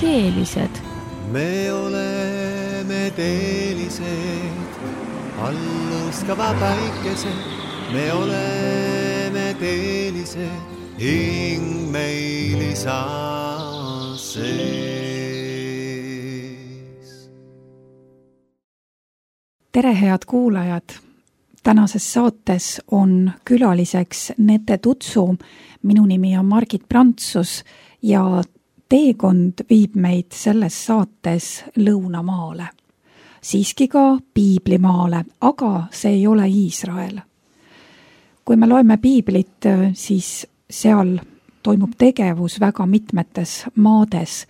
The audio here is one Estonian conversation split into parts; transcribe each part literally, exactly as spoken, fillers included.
teelised. Me oleme teelised, alluskava päikesed. Me oleme teelised, hing meil isa sees. Tere, head kuulajad! Tänases saates on külaliseks Nete Tutsu. Minu nimi on Margit Prantsus ja teekond viib meid selles saates Lõunamaale. Siiski ka Piiblimaale, aga see ei ole Iisrael. Kui me loeme Piiblit, siis seal toimub tegevus väga mitmetes maades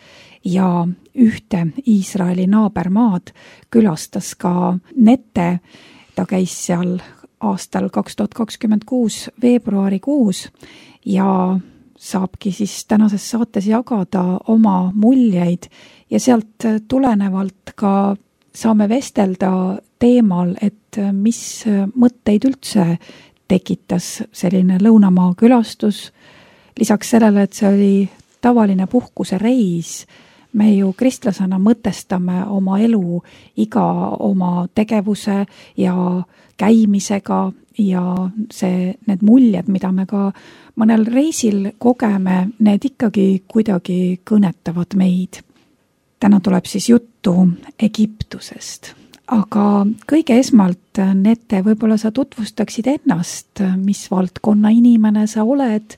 ja ühte Iisraeli naabermaad külastas ka Nete. Ta käis seal aastal kaks tuhat kakskümmend kuus veebruarikuus ja saabki siis tänases saates jagada oma muljeid ja sealt tulenevalt ka saame vestelda teemal, et mis mõtteid üldse tekitas selline Lõunamaa külastus. Lisaks sellele, et see oli tavaline puhkuse reis, me ju kristlasena mõtestame oma elu iga oma tegevuse ja käimisega ja see, need muljed, mida me ka mõnel reisil kogeme, need ikkagi kuidagi kõnetavad meid. Täna tuleb siis juttu Egiptusest. Aga kõige esmalt, Nete, võib-olla sa tutvustaksid ennast, mis valdkonna inimene sa oled,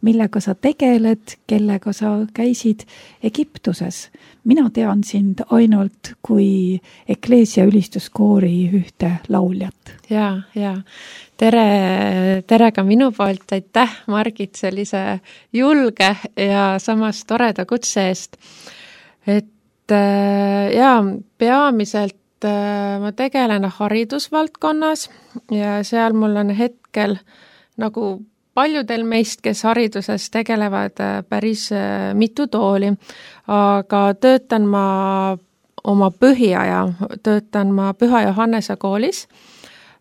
millega sa tegeled, kellega sa käisid Egiptuses. Mina tean sind ainult kui Ekleesia ülistuskoori ühte lauljat. Ja, ja. Tere, tere ka minu poolt. Aitäh, Margit, sellise julge ja samas toreda kutse eest. Et ja peamiselt ma tegelen haridusvaldkonnas ja seal mul on hetkel nagu paljudel meist, kes hariduses tegelevad päris mitu tooli, aga töötan ma oma põhiaja, töötan ma Püha Johannese koolis.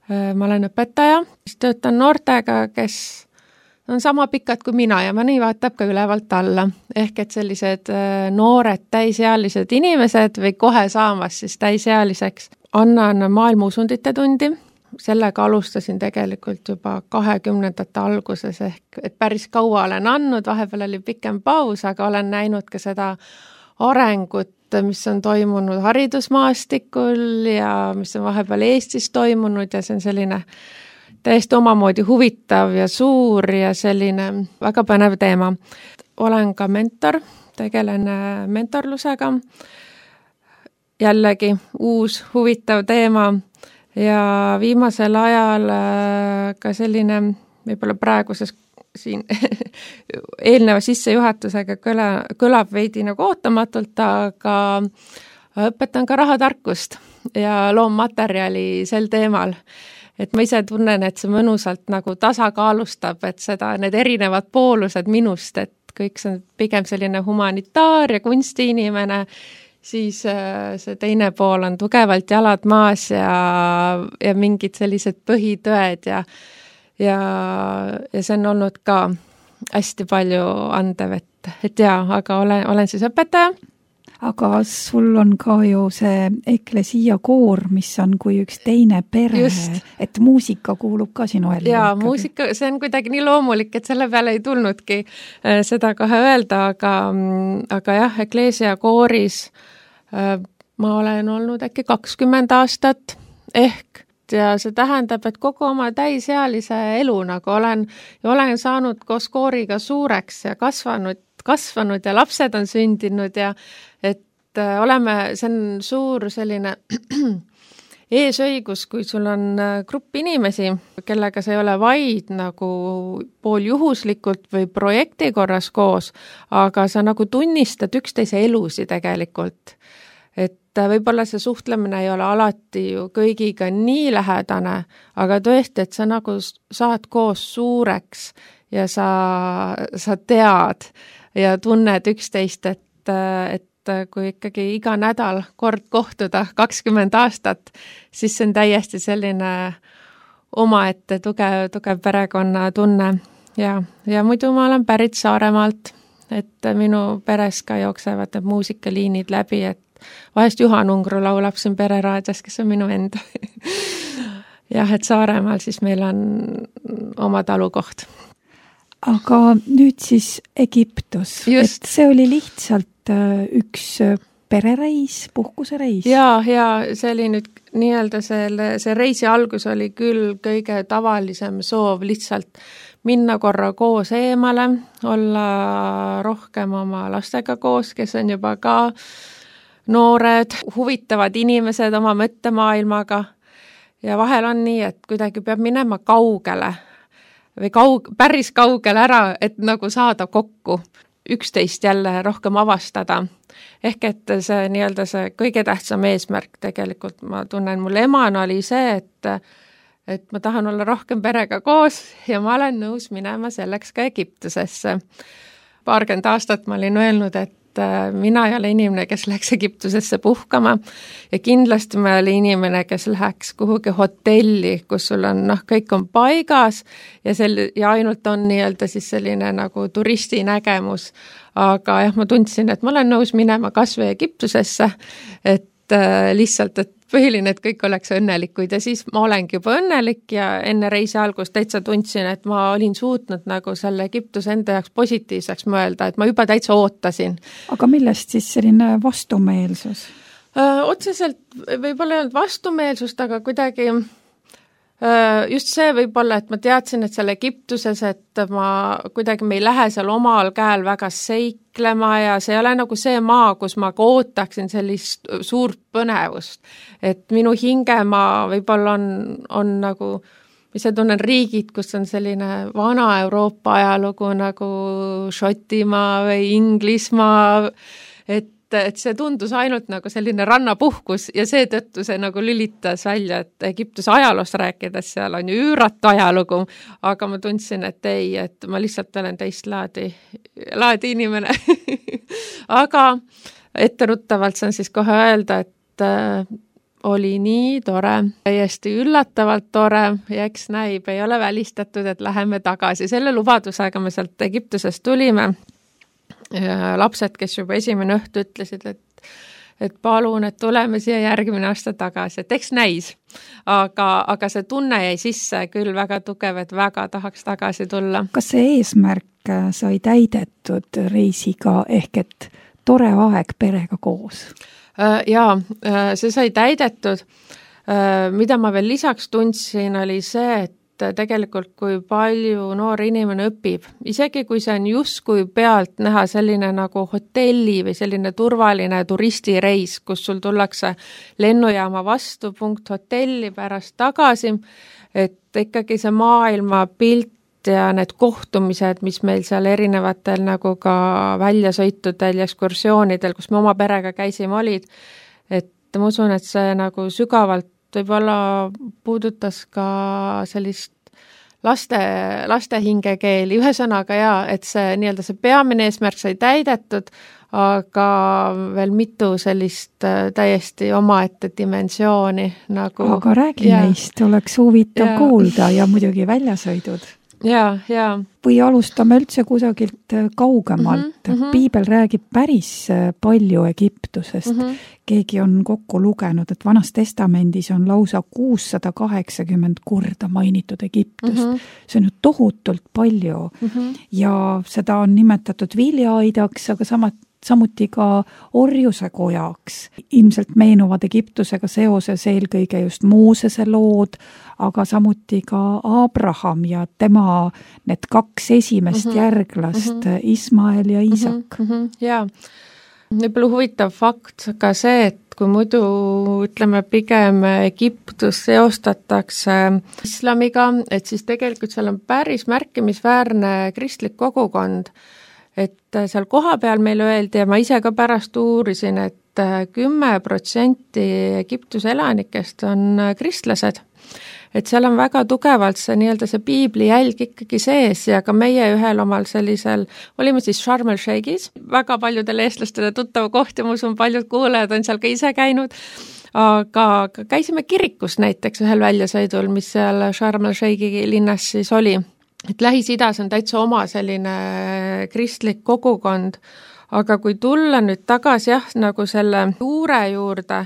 Ma olen õpetaja, töötan noortega, kes on sama pikad kui mina ja ma nii vaatab ka ülevalt alla. Ehk et sellised noored täisealised inimesed või kohe saamas siis täisealiseks. Annan maailmausundite tundi. Sellega alustasin tegelikult juba kahekümnendate alguses ehk et päris kaua olen andnud, vahepeal oli pikem paus, aga olen näinud ka seda arengut, mis on toimunud haridusmaastikul ja mis on vahepeal Eestis toimunud ja see on selline täiesti omamoodi huvitav ja suur ja selline väga põnev teema. Olen ka mentor, tegelen mentorlusega. Jällegi uus huvitav teema ja viimasel ajal ka selline, võib-olla praeguses siin eelneva sissejuhatusega kõla, kõlab veidi nagu ootamatult, aga õpetan ka rahatarkust ja loommaterjali sel teemal. Et ma ise tunnen, et see mõnusalt nagu tasakaalustab, et seda, need erinevad poolused minust, et kõik see on pigem selline humanitaar ja kunstiinimene, siis see teine pool on tugevalt jalad maas ja, ja mingid sellised põhitõed ja, ja, ja see on olnud ka hästi palju andev, et, et jaa, aga olen, olen siis õpetaja. Aga sul on ka ju see Eklesia koor, mis on kui üks teine pere, Just. Et muusika kuulub ka sinu ellu. Jaa, muusika, see on kuidagi nii loomulik, et selle peale ei tulnudki seda kohe öelda, aga, aga jah, Eklesia kooris ma olen olnud äkki kakskümmend aastat ehk ja see tähendab, et kogu oma täisealise elu nagu olen, ja olen saanud koos kooriga suureks ja kasvanud, kasvanud ja lapsed on sündinud ja et oleme, see on suur selline eesõigus, kui sul on grupp inimesi, kellega sa ei ole vaid nagu pooljuhuslikult või projekti korras koos, aga sa nagu tunnistad üksteise elusi tegelikult. Et võib-olla see suhtlemine ei ole alati ju kõigiga nii lähedane, aga tõesti, et sa nagu saad koos suureks ja sa, sa tead ja tunned üksteist, et, et kui ikkagi iga nädal kord kohtuda kakskümmend aastat, siis see on täiesti selline omaette tugev, tugev perekonna tunne. Ja, ja muidu ma olen pärit Saaremaalt et minu peres ka jooksevad need muusikaliinid läbi, et vahest Juhan Ungru laulab siin pereraadios, kes on minu enda. Jah, et Saaremaal siis meil on oma talukoht. Aga nüüd siis Egiptus, Just. et see oli lihtsalt üks perereis, puhkusereis? Jaa, ja see oli nüüd nii-öelda selle, see reisi algus oli küll kõige tavalisem soov lihtsalt minna korra koos eemale, olla rohkem oma lastega koos, kes on juba ka noored, huvitavad inimesed oma mõttemaailmaga ja vahel on nii, et kuidagi peab minema kaugele või kaug, päris kaugele ära, et nagu saada kokku, üksteist jälle rohkem avastada. Ehk et see nii-öelda see kõige tähtsam eesmärk tegelikult, ma tunnen, mul emana oli see, et, et ma tahan olla rohkem perega koos ja ma olen nõus minema selleks ka Egiptusesse. Paarkümmend aastat ma olin öelnud, et mina ei ole inimene, kes läheks Egiptusesse puhkama ja kindlasti ma oli inimene, kes läheks kuhugi hotelli, kus sul on, noh, kõik on paigas ja, sel, ja ainult on nii-öelda siis selline nagu turisti nägemus. Aga jah, ma tundsin, et ma olen nõus minema kas või Egiptusesse, et äh, lihtsalt, et põhiline, et kõik oleks õnnelikud ja siis ma olengi juba õnnelik ja enne reisi algust täitsa tundsin, et ma olin suutnud nagu selle Egiptuse enda jaoks positiivseks mõelda, et ma juba täitsa ootasin. Aga millest siis selline vastumeelsus? Öö, otseselt võib-olla ei olnud vastumeelsust, aga kuidagi just see võib-olla, et ma teadsin, et seal Egiptuses, et ma kuidagi me ei lähe seal omal käel väga seiklema ja see ei ole nagu see maa, kus ma ka ootaksin sellist suurt põnevust. Et minu hingemaa võib-olla on, on nagu, mis see tunnen riigid, kus on selline vana Euroopa ajalugu nagu Šotimaa või Inglismaa, et et see tundus ainult nagu selline rannapuhkus ja seetõttu see nagu lülitas välja, et Egiptuse ajaloost rääkides seal on ju üüratu ajalugu, aga ma tundsin, et ei, et ma lihtsalt olen teist laadi, laadi inimene. Aga etteruttavalt saan siis kohe öelda, et äh, oli nii tore, täiesti üllatavalt tore ja eks näib, ei ole välistatud, et läheme tagasi. Selle lubadusega me sealt Egiptusest tulime. Ja lapsed, kes juba esimene õhtu ütlesid, et, et palun, et tuleme siia järgmine aasta tagasi, et eks näis. Aga, aga see tunne jäi sisse küll väga tugev, et väga tahaks tagasi tulla. Kas see eesmärk sai täidetud reisiga ehk et tore aeg perega koos? Jaa, see sai täidetud. Mida ma veel lisaks tundsin, oli see, et tegelikult kui palju noor inimene õpib, isegi kui see on justkui pealt näha selline nagu hotelli või selline turvaline turistireis, kus sul tullakse lennujaama vastu, punkt hotelli pärast tagasi, et ikkagi see maailma pilt ja need kohtumised, mis meil seal erinevatel nagu ka väljasõitudel ja ekskursioonidel, kus me oma perega käisime olid, et ma usun, et see nagu sügavalt võib-olla puudutas ka sellist laste, laste hingekeeli, ühesõnaga jaa, et see nii-öelda see peamine eesmärk sai täidetud, aga veel mitu sellist täiesti omaette dimensiooni nagu. Aga räägi ja, neist, oleks huvitav ja, kuulda ja muidugi väljasõidud. Jaa, jaa. Või alustame üldse kusagilt kaugemalt. Mm -hmm. Piibel räägib päris palju Egiptusest. Mm -hmm. Keegi on kokku lugenud, et Vanas testamendis on lausa kuussada kaheksakümmend korda mainitud Egiptust. Mm -hmm. See on ju tohutult palju. Mm -hmm. Ja seda on nimetatud viljaaidaks, aga samat samuti ka orjuse kojaks. Ilmselt meenuvad Egiptusega seoses eelkõige just Moosese lood, aga samuti ka Abraham ja tema need kaks esimest mm-hmm. järglast, mm-hmm. Ismael ja Iisak. Mm-hmm. Jaa, võib-olla huvitav fakt ka see, et kui muidu ütleme pigem Egiptus seostatakse islamiga, et siis tegelikult seal on päris märkimisväärne kristlik kogukond. Et seal koha peal meile öeldi ja ma ise ka pärast uurisin, et kümme protsenti Egiptuse elanikest on kristlased. Et seal on väga tugevalt see nii-öelda see piibli jälg ikkagi sees ja ka meie ühel omal sellisel, olime siis Sharm el Sheikhis, väga paljudele eestlastele tuttav koht ja ma usun, paljud kuulajad on seal ka ise käinud, aga käisime kirikus näiteks ühel väljasõidul, mis seal Sharm el Sheikhi linnas siis oli. et Lähis-Idas on täitsa oma selline kristlik kogukond, aga kui tulla nüüd tagasi jah, nagu selle juure juurde,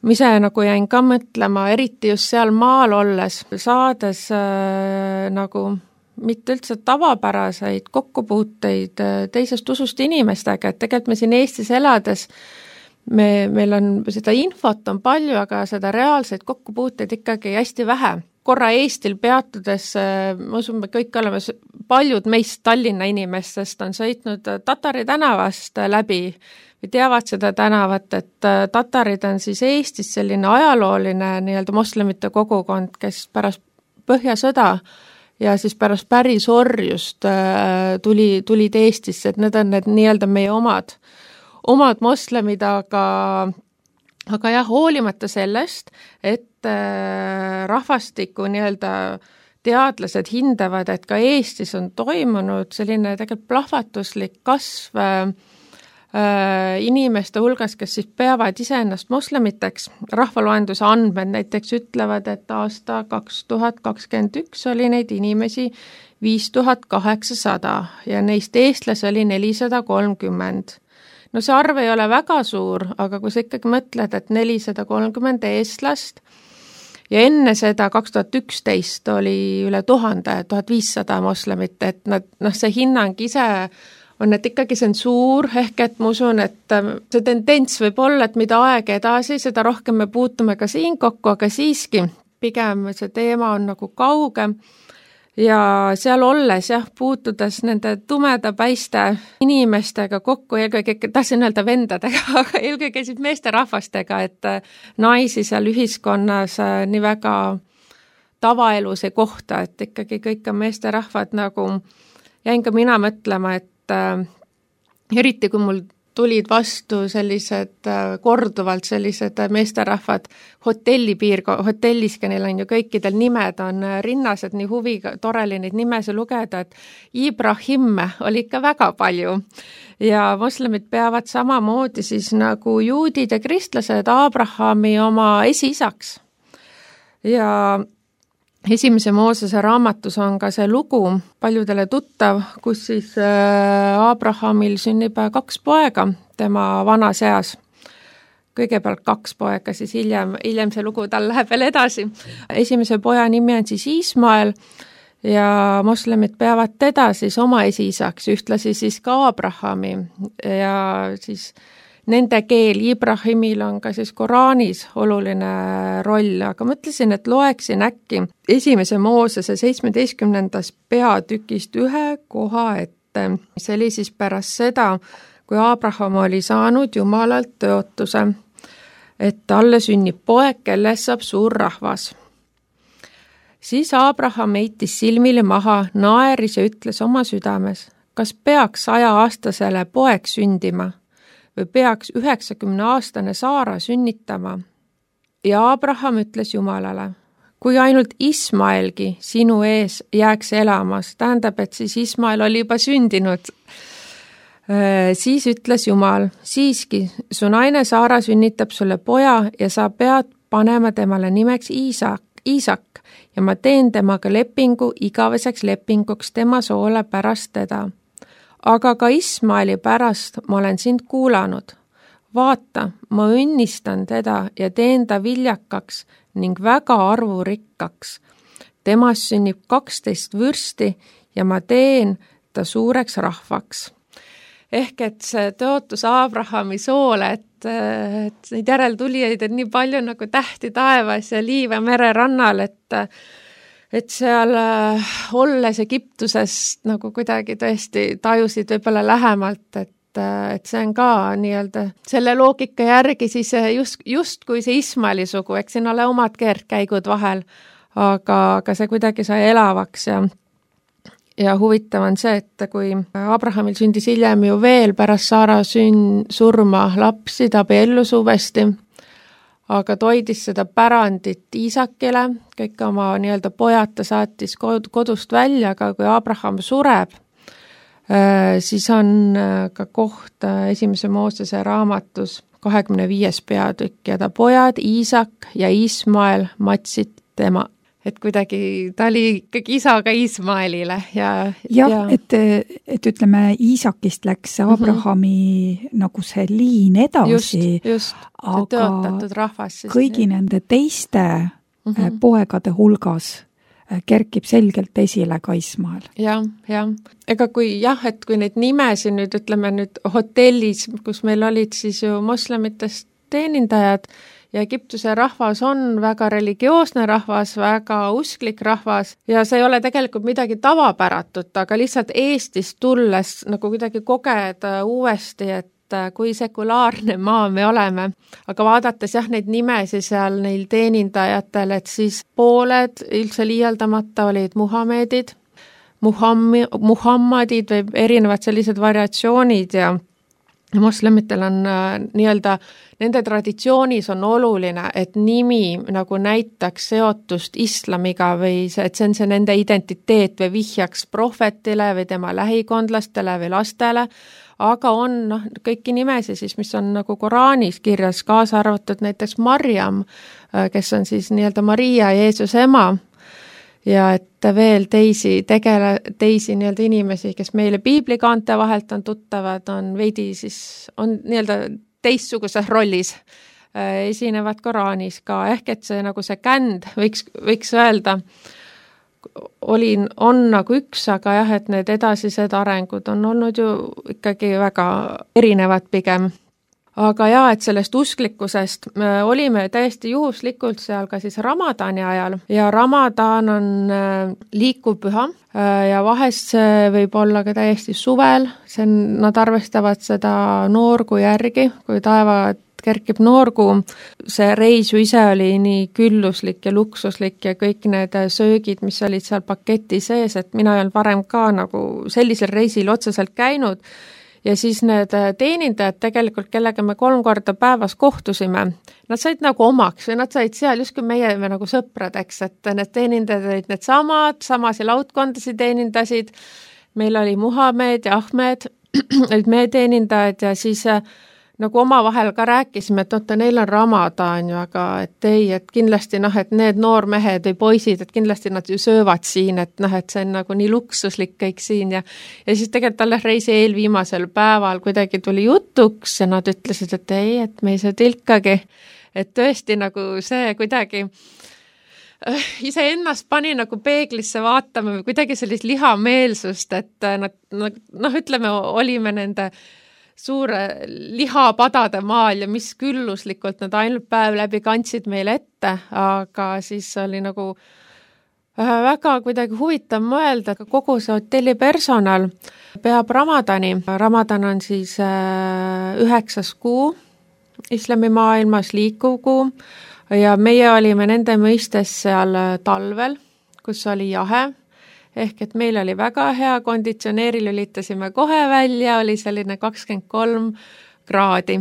mise nagu jäin ka mõtlema, eriti just seal maal olles, saades äh, nagu mitte üldse tavapäraseid kokkupuuteid teisest usust inimestega, et tegelikult me siin Eestis elades, me, meil on seda infot on palju, aga seda reaalseid kokkupuuteid ikkagi hästi vähe. Korra Eestil peatudes, ma usun, me kõik oleme, paljud meist Tallinna inimestest on sõitnud Tatari tänavast läbi või teavad seda tänavat, et tatarid on siis Eestis selline ajalooline nii-öelda moslemite kogukond, kes pärast Põhjasõda ja siis pärast pärisorjust tuli, tulid Eestisse, et need on need nii-öelda meie omad, omad moslemid, aga, aga jah, hoolimata sellest, et rahvastiku nii-öelda teadlased hindavad, et ka Eestis on toimunud selline tegelikult plahvatuslik kasv inimeste hulgas, kes siis peavad iseennast moslemiteks. Rahvaloenduse andmed näiteks ütlevad, et aasta kaks tuhat kakskümmend üks oli neid inimesi viis tuhat kaheksasada ja neist eestlasi oli nelisada kolmkümmend. No see arv ei ole väga suur, aga kui sa ikkagi mõtled, et nelisada kolmkümmend eestlast ja enne seda kaks tuhat üksteist oli üle tuhande, tuhat viissada moslemit, et nad, noh, see hinnang ise on, et ikkagi see on suur, ehk et ma usun, et see tendents võib olla, et mida aeg edasi, seda rohkem me puutume ka siin kokku, aga siiski pigem see teema on nagu kauge ja seal olles jah, puutudes nende tumedapäiste inimestega kokku, eelkõige, tahtsin öelda vendadega, aga eelkõige siis meesterahvastega, et naisi seal ühiskonnas nii väga tavaelus ei kohta, et ikkagi kõik on meesterahvad nagu, jäin ka mina mõtlema, et äh, eriti kui mul tulid vastu sellised äh, korduvalt sellised meesterahvad hotellipiirko-, hotelliski, neil on ju kõikidel nimed on rinnas, et nii huviga, tore oli neid nimesi lugeda, et Ibrahim oli ikka väga palju ja moslemid peavad samamoodi siis nagu juudid ja kristlased Abrahami oma esiisaks ja esimese Moosese raamatus on ka see lugu paljudele tuttav, kus siis Abrahamil sünnib kaks poega tema vanas eas. Kõigepealt kaks poega, siis hiljem, hiljem see lugu tal läheb veel edasi. Esimese poja nimi on siis Ismael ja moslemid peavad teda siis oma esiisaks, ühtlasi siis ka Abrahami ja siis nende keel Ibrahimil on ka siis Koraanis oluline roll, aga mõtlesin, et loeksin äkki esimese Moosese seitsmeteistkümnendast peatükist ühe koha ette. See oli siis pärast seda, kui Abraham oli saanud Jumalalt tõotuse, et talle sünnib poeg, kellest saab suur rahvas. Siis Abraham heitis silmile maha, naeris ja ütles oma südames, kas peaks sajaaastasele poeg sündima või peaks üheksakümne aastane Saara sünnitama. Ja Abraham ütles Jumalale, kui ainult Ismaelgi sinu ees jääks elamas, tähendab, et siis Ismael oli juba sündinud. Siis ütles Jumal, siiski, su naine Saara sünnitab sulle poja ja sa pead panema temale nimeks Iisak, Iisak ja ma teen temaga lepingu igaveseks lepinguks tema soole pärast teda. Aga ka Ismaeli pärast ma olen sind kuulanud. Vaata, ma õnnistan teda ja teen ta viljakaks ning väga arvurikkaks. Temast sünnib kaksteist vürsti ja ma teen ta suureks rahvaks. Ehk et see tõotus Abrahami soole, et, et neid järeltulijaid on nii palju nagu tähti taevas ja liiva mere rannal, et et seal äh, olles Egiptusest nagu kuidagi tõesti tajusid võib-olla lähemalt, et, et see on ka nii-öelda selle loogika järgi siis just, just kui see Ismaeli sugu, eks siin ole omad keerdkäigud vahel, aga, aga see kuidagi sai elavaks ja, ja huvitav on see, et kui Abrahamil sündis hiljem ju veel pärast Saara sün, surma lapsi, ta abiellus uuesti, aga toidis seda pärandit Iisakile, kõik oma nii-öelda pojad ta saatis kodust välja, aga kui Abraham sureb, siis on ka koht esimese Moosese raamatus kahekümne viies peatükk ja ta pojad Iisak ja Ismael matsid tema, et kuidagi ta oli ikkagi isaga Ismaelile ja jah ja. et, et ütleme, Iisakist läks Abrahami mm -hmm. nagu see liin edasi, just, just. aga teotatud rahvas siis kõigi nii. Nende teiste mm -hmm. poegade hulgas kerkib selgelt esile ka Ismael. jah, jah. Ega kui jah, et kui neid nimesid nüüd ütleme nüüd hotellis, kus meil olid siis ju moslemitest teenindajad, ja Egiptuse rahvas on väga religioosne rahvas, väga usklik rahvas ja see ei ole tegelikult midagi tavapäratut, aga lihtsalt Eestist tulles nagu kuidagi kogeda uuesti, et kui sekulaarne maa me oleme. Aga vaadates jah neid nimesi seal neil teenindajatel, et siis pooled üldse liialdamata olid Muhamedid, Muhammi, Muhammadid või erinevad sellised variatsioonid ja moslemitel on äh, nii-öelda, nende traditsioonis on oluline, et nimi nagu näitaks seotust islamiga või see, et see on see nende identiteet või vihjaks prohvetile või tema lähikondlastele või lastele, aga on noh, kõiki nimesi siis, mis on nagu Koraanis kirjas, kaasa arvatud näiteks Marjam, kes on siis nii-öelda Maria Jeesuse ema, ja et veel teisi tegele, teisi nii-öelda inimesi, kes meile piiblikaante vahelt on tuttavad, on veidi siis, on nii-öelda teistsuguses rollis, esinevad Koraanis ka, ehk et see nagu see känd, võiks, võiks öelda, oli, on nagu üks, aga jah, et need edasised arengud on olnud ju ikkagi väga erinevad pigem. Aga jaa, et sellest usklikkusest me olime täiesti juhuslikult seal ka siis Ramadani ajal ja Ramadan on liikuv püha ja vahest see võib olla ka täiesti suvel, see on, nad arvestavad seda noorgu järgi, kui taeva kerkib noorgu, see reis ju ise oli nii külluslik ja luksuslik ja kõik need söögid, mis olid seal paketi sees, et mina ei olnud varem ka nagu sellisel reisil otseselt käinud ja siis need teenindajad tegelikult, kellega me kolm korda päevas kohtusime, nad said nagu omaks või nad said seal justkui meie me nagu sõpradeks, et need teenindajad olid need samad, samasi laudkondasid teenindasid, meil oli Muhamed ja Ahmed, olid meie teenindajad ja siis nagu omavahel ka rääkisime, et oota, neil on Ramadan ju, aga et ei, et kindlasti noh, et need noormehed või poisid, et kindlasti nad ju söövad siin, et noh, et see on nagu nii luksuslik kõik siin ja ja siis tegelikult alles reisi eelviimasel päeval kuidagi tuli jutuks ja nad ütlesid, et ei, et me ei saa tilkagi, et tõesti nagu see kuidagi ise ennast pani nagu peeglisse vaatama või kuidagi sellist lihameelsust, et nad noh, ütleme, olime nende suure lihapadade maal ja mis külluslikult nad ainult päev läbi kandsid meile ette, aga siis oli nagu väga kuidagi huvitav mõelda, aga kogu see hotelli personal peab Ramadani. Ramadan on siis üheksas kuu islamimaailmas, liikuv kuu ja meie olime nende mõistes seal talvel, kus oli jahe. Ehk et meil oli väga hea, konditsioneeri lülitasime kohe välja, oli selline kakskümmend kolm kraadi.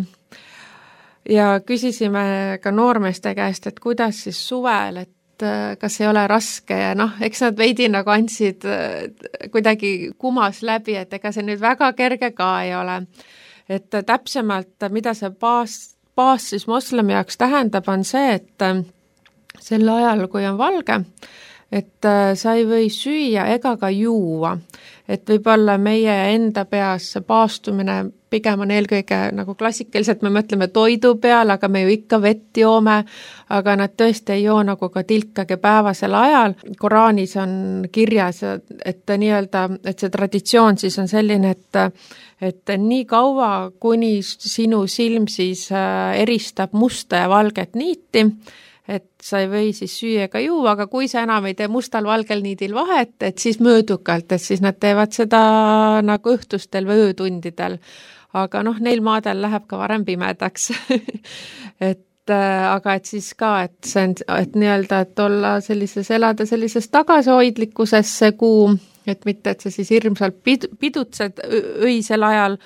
Ja küsisime ka noormeeste käest, et kuidas siis suvel, et kas ei ole raske ja noh, eks nad veidi nagu andsid kuidagi kumas läbi, et ega see nüüd väga kerge ka ei ole. Et täpsemalt, mida see baas, baas siis moslemi jaoks tähendab, on see, et sel ajal, kui on valge, et sa ei või süüa ega ka juua, et võib-olla meie enda peas see paastumine pigem on eelkõige nagu klassikaliselt, me mõtleme toidu peale, aga me ju ikka vett joome, aga nad tõesti ei joo nagu ka tilkagi päevasel ajal. Koraanis on kirjas, et nii-öelda, et see traditsioon siis on selline, et et nii kaua, kuni sinu silm siis eristab musta ja valget niiti, et sa ei või siis süüa ega juua, aga kui sa enam ei tee mustal valgel niidil vahet, et siis möödukalt, et siis nad teevad seda nagu õhtustel või öötundidel. Aga noh, neil maadel läheb ka varem pimedaks. et aga et siis ka, et see on, et nii-öelda, et olla sellises, elada sellises tagasihoidlikkuses see kuu, et mitte, et sa siis hirmsalt pid, pidutsed öisel ajal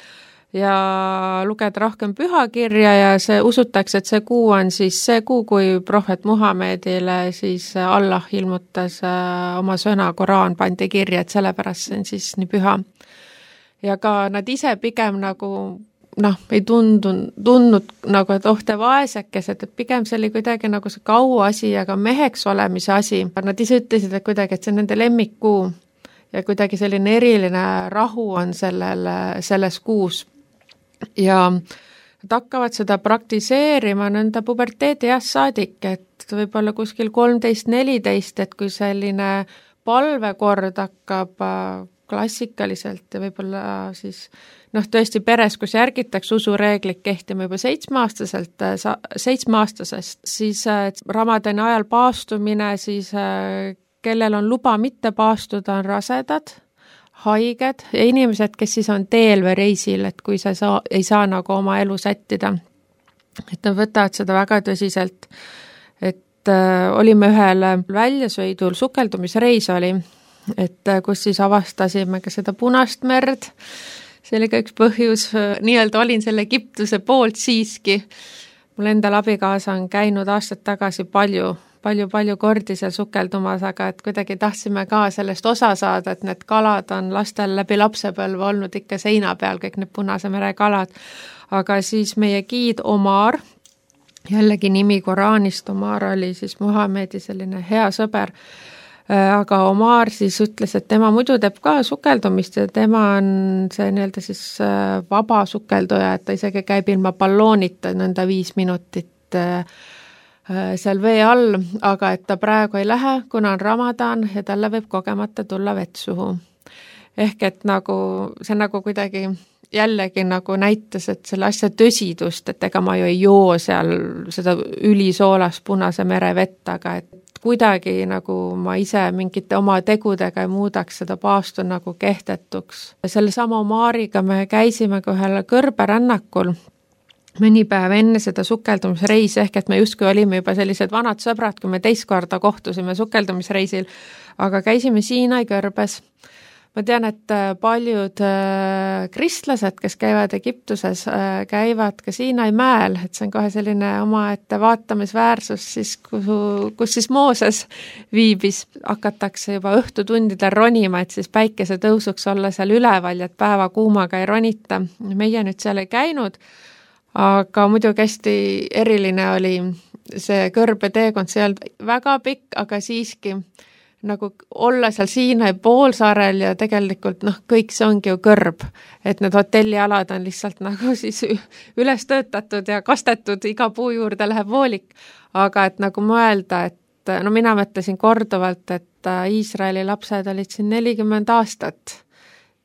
ja lugeda rohkem pühakirja ja see usutakse, et see kuu on siis see kuu, kui prohvet Muhamedile siis Allah ilmutas oma sõna, Koraan pandi kirja, et sellepärast see on siis nii püha. Ja ka nad ise pigem nagu noh, ei tundnud, tundnud nagu, et oh, te vaesekesed, et pigem see oli kuidagi nagu see kaua asi, aga meheks olemise asi. Nad ise ütlesid, et kuidagi, et see on nende lemmikkuu ja kuidagi selline eriline rahu on sellel, selles kuus. Ja nad hakkavad seda praktiseerima nende puberteedi jah saadik, et võib-olla kuskil kolmteist neliteist, et kui selline palvekord hakkab klassikaliselt ja võib-olla siis noh, tõesti peres, kus järgitakse usureeglit kehtima juba seitsmeaastaselt, seitsmeaastasest, siis Ramadani ajal paastumine, siis kellel on luba mitte paastuda, on rasedad, haiged ja inimesed, kes siis on teel või reisil, et kui sa ei saa, ei saa nagu oma elu sättida. Et nad võtavad seda väga tõsiselt, et äh, olime ühel väljasõidul, sukeldumisreis oli, et äh, kus siis avastasime ka seda Punast merd, see oli ka üks põhjus, nii-öelda olin selle Egiptuse poolt siiski. Mul endal abikaasa on käinud aastad tagasi palju, palju, palju kordi seal sukeldumas, aga et kuidagi tahtsime ka sellest osa saada, et need kalad on lastel läbi lapsepõlve olnud ikka seina peal, kõik need Punase mere kalad. Aga siis meie giid Omar, jällegi nimi Koraanist, Omar oli siis Muhamedi selline hea sõber, aga Omar siis ütles, et tema muidu teeb ka sukeldumist ja tema on see nii-öelda siis vaba sukelduja, et ta isegi käib ilma balloonita nõnda viis minutit seal vee all, aga et ta praegu ei lähe, kuna on Ramadan ja talle võib kogemata tulla vett suhu. Ehk et nagu, see nagu kuidagi jällegi nagu näitas, et selle asja tõsidust, et ega ma ju ei joo seal seda ülisoolas Punase mere vett, aga et kuidagi nagu ma ise mingite oma tegudega ei muudaks seda paastu nagu kehtetuks. Selle sama Omariga me käisime ka ühel kõrberännakul mõni päev enne seda sukeldumisreisi, ehk et me justkui olime juba sellised vanad sõbrad, kui me teist korda kohtusime sukeldumisreisil, aga käisime Siinai kõrbes. Ma tean, et paljud kristlased, kes käivad Egiptuses, käivad ka Siinai mäel, et see on kohe selline omaette vaatamisväärsus, siis, kus, kus siis Mooses viibis. Hakatakse juba õhtutundidel ronima, et siis päikese tõusuks olla seal üleval ja et päeva kuumaga ei ronita. Meie nüüd seal ei käinud, aga muidugi hästi eriline oli see kõrbeteekond, see ei olnud väga pikk, aga siiski nagu olla seal Siinai poolsaarel ja tegelikult noh, kõik see ongi ju kõrb, et need hotellialad on lihtsalt nagu siis üles töötatud ja kastetud, iga puu juurde läheb voolik, aga et nagu mõelda, et no mina mõtlesin korduvalt, et Iisraeli lapsed olid siin nelikümmend aastat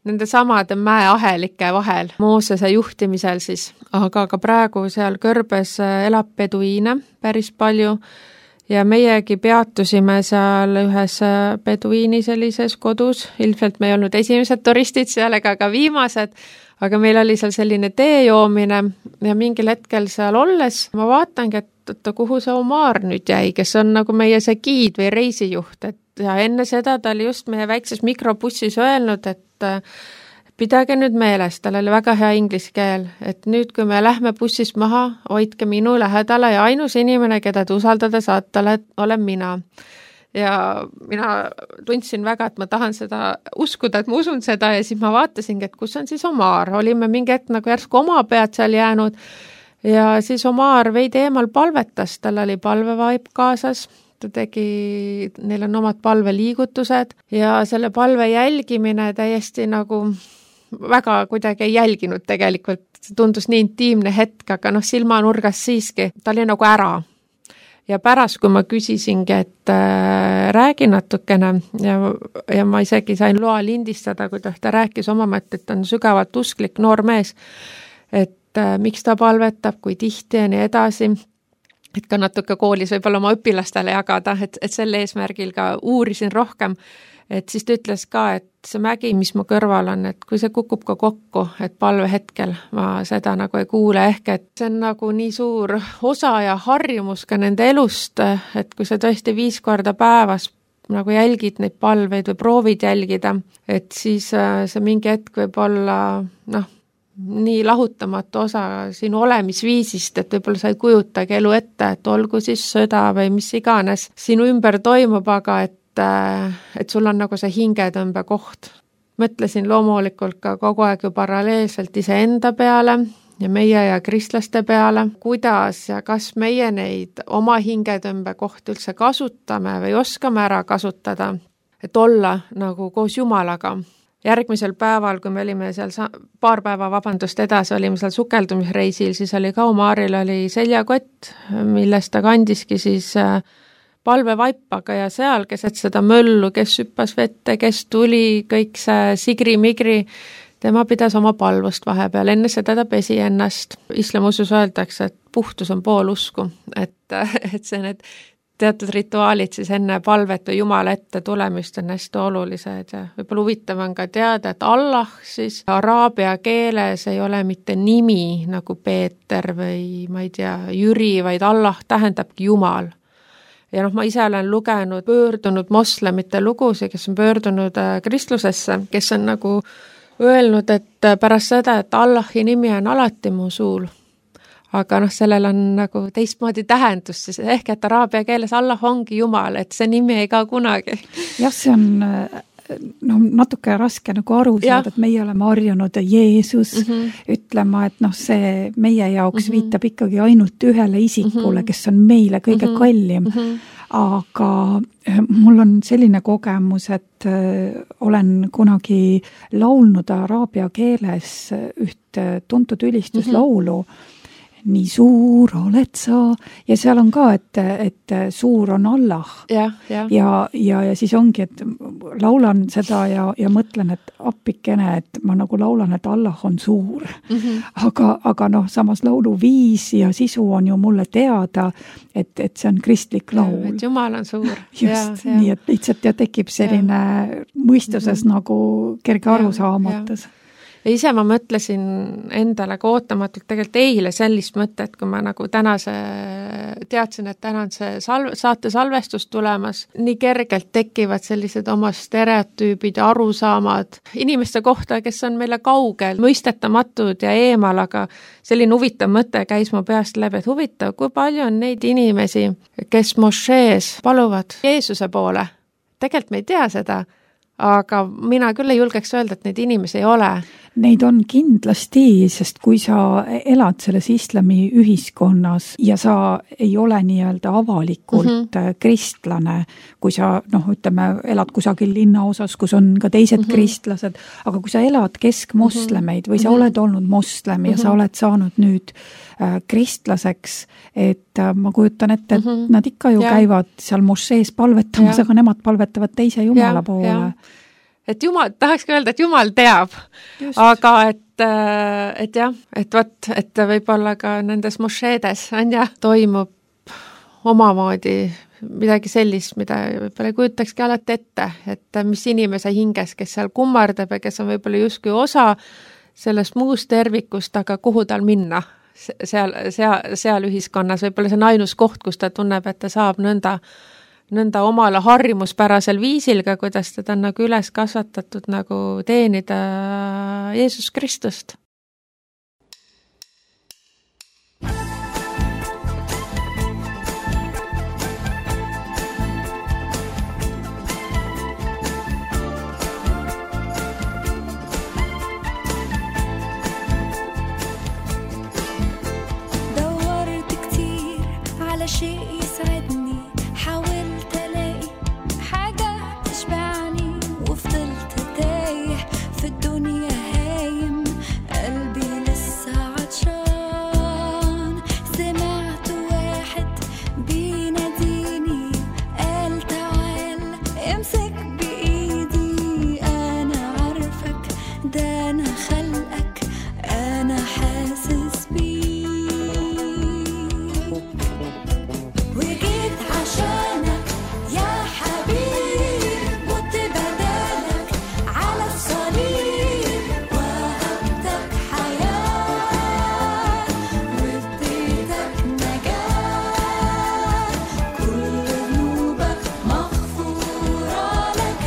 nende samade mäeahelike vahel Moosese juhtimisel siis, aga ka praegu seal kõrbes elab peduiine päris palju ja meiegi peatusime seal ühes peduiini sellises kodus, ilmselt me ei olnud esimesed turistid seal ega ka viimased, aga meil oli seal selline tee joomine ja mingil hetkel seal olles ma vaatangi, et kuhu see Omar nüüd jäi, kes on nagu meie see giid või reisijuht, et ja enne seda ta oli just meie väikses mikrobussis öelnud, et pidage nüüd meeles, tal oli väga hea inglise keel, et nüüd, kui me lähme bussist maha, hoidke minu lähedale ja ainus inimene, keda te usaldada saate, olen mina. Ja mina tundsin väga, et ma tahan seda uskuda, et ma usun seda ja siis ma vaatasingi, et kus on siis Omar. Olime mingi hetk nagu järsku oma pead seal jäänud ja siis Omar veidi eemal palvetas, tal oli palvevaip kaasas. Ta tegi, neil on omad palveliigutused ja selle palve jälgimine täiesti nagu väga kuidagi ei jälginud tegelikult, see tundus nii intiimne hetk, aga noh, silmanurgas siiski, ta oli nagu ära. Ja pärast, kui ma küsisingi, et äh, räägi natukene ja, ja ma isegi sain loa lindistada, kui ta, ta rääkis oma mõtte, et on sügavalt usklik noor mees, et äh, miks ta palvetab, kui tihti ja nii edasi, et ka natuke koolis võib-olla oma õpilastele jagada, et, et selle eesmärgil ka uurisin rohkem, et siis ta ütles ka, et see mägi, mis mu kõrval on, et kui see kukub ka kokku, et palve hetkel ma seda nagu ei kuule, ehk et see on nagu nii suur osa ja harjumus ka nende elust, et kui sa tõesti viis korda päevas nagu jälgid neid palveid või proovid jälgida, et siis see mingi hetk võib olla noh, nii lahutamatu osa sinu olemisviisist, et võib-olla sa ei kujutagi elu ette, et olgu siis sõda või mis iganes sinu ümber toimub, aga et et sul on nagu see hingetõmbe koht. Mõtlesin loomulikult ka kogu aeg ju paralleelselt iseenda peale ja meie ja kristlaste peale, kuidas ja kas meie neid oma hingetõmbe kohti üldse kasutame või oskame ära kasutada, et olla nagu koos Jumalaga. Järgmisel päeval, kui me olime seal paar päeva vabandust edasi, olime seal sukeldumisreisil, siis oli ka Omaril oli seljakott, millest ta kandiski siis palvevaipaga ja seal keset seda möllu, kes hüppas vette, kes tuli, kõik see sigri-migri, tema pidas oma palvust vahepeal, enne seda ta pesi ennast. Islamusus öeldakse, et puhtus on pool usku, et, et see need teatud rituaalid siis enne palvet või Jumala ette tulemist on hästi olulised ja võib-olla huvitav on ka teada, et Allah siis araabia keeles ei ole mitte nimi nagu Peeter või ma ei tea, Jüri, vaid Allah tähendabki Jumal. Ja noh, ma ise olen lugenud pöördunud moslemite lugusid, kes on pöördunud kristlusesse, kes on nagu öelnud, et pärast seda, et Allahi nimi on alati mu suul, aga noh, sellel on nagu teistmoodi tähendus, siis ehk et araabia keeles Allah ongi Jumal, et see nimi ei ka kunagi. Jah, see on no, natuke raske nagu aru saada, et meie oleme harjunud Jeesus mm -hmm. ütlema, et noh, see meie jaoks mm -hmm. viitab ikkagi ainult ühele isikule, mm -hmm. kes on meile kõige mm -hmm. kallim. Mm -hmm. Aga mul on selline kogemus, et olen kunagi laulnud araabia keeles üht tuntud ülistuslaulu mm, -hmm. nii suur oled sa ja seal on ka, et, et suur on Allah ja, ja. Ja, ja, ja siis ongi, et laulan seda ja, ja mõtlen, et appikene, et ma nagu laulan, et Allah on suur mm. -hmm. Aga, aga noh, samas laulu viis ja sisu on ju mulle teada, et, et see on kristlik laul. Et Jumal on suur. Just, ja, nii ja. Et lihtsalt ja tekib selline ja. Mõistuses mm -hmm. nagu kerge arusaamatus. Ja ise ma mõtlesin endale ka ootamatult tegelikult eile sellist mõtet, kui ma nagu tänase teadsin, et täna on see salve, saate salvestus tulemas. Nii kergelt tekivad sellised oma stereotüübid ja arusaamad inimeste kohta, kes on meile kaugel, mõistetamatud ja eemal, aga selline huvitav mõte käis mu peast läbi, et huvitav, kui palju on neid inimesi, kes mošees paluvad Jeesuse poole. Tegelikult me ei tea seda, aga mina küll ei julgeks öelda, et neid inimesi ei ole. Neid on kindlasti, sest kui sa elad selles islami ühiskonnas ja sa ei ole nii-öelda avalikult mm -hmm. kristlane, kui sa, noh, ütleme, elad kusagil linnaosas, kus on ka teised mm -hmm. kristlased, aga kui sa elad keskmoslemeid või sa mm -hmm. oled olnud moslem ja mm -hmm. sa oled saanud nüüd äh, kristlaseks, et äh, ma kujutan ette, et mm -hmm. nad ikka ju ja. käivad seal mošees palvetamas, aga nemad palvetavad teise Jumala ja, poole. Ja. Et Jumal, tahaks öelda, et Jumal teab, just. Aga et, et jah, et võt, et võib-olla ka nendes mošeedes on ja toimub omamoodi midagi sellist, mida võib-olla ei kujutakski alati ette, et mis inimese hinges, kes seal kummardab ja kes on võib-olla justkui osa sellest muust tervikust, aga kuhu tal minna seal, seal, seal ühiskonnas, võib-olla see on ainus koht, kus ta tunneb, et ta saab nõnda nõnda omale harjumuspärasel viisil ka, kuidas teda on nagu üles kasvatatud nagu teenida Jeesus Kristust. دورت كتير على شيء يسعدني حاولت ألاقي حاجة تشبعني وفضلت تايه في الدنيا هايم قلبي لسه عطشان سمعت واحد بيناديني قال تعال امسك بإيدي أنا عارفك ده أنا خلقك أنا حاسس بيه وجيت عشانك يا حبيب مت بدالك على الصليب وهبتك حياة واديتك نجاة كل ذنوبك مغفورة لك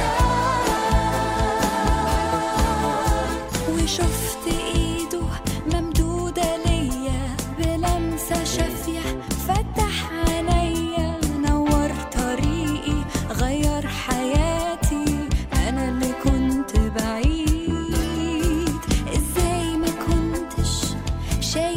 وشفت ايده ممدودة ليا بلمسة شافية فتح عينيا نور طريقي غير حياتي أنا اللي كنت بعيد إزاي ما كنتش شايف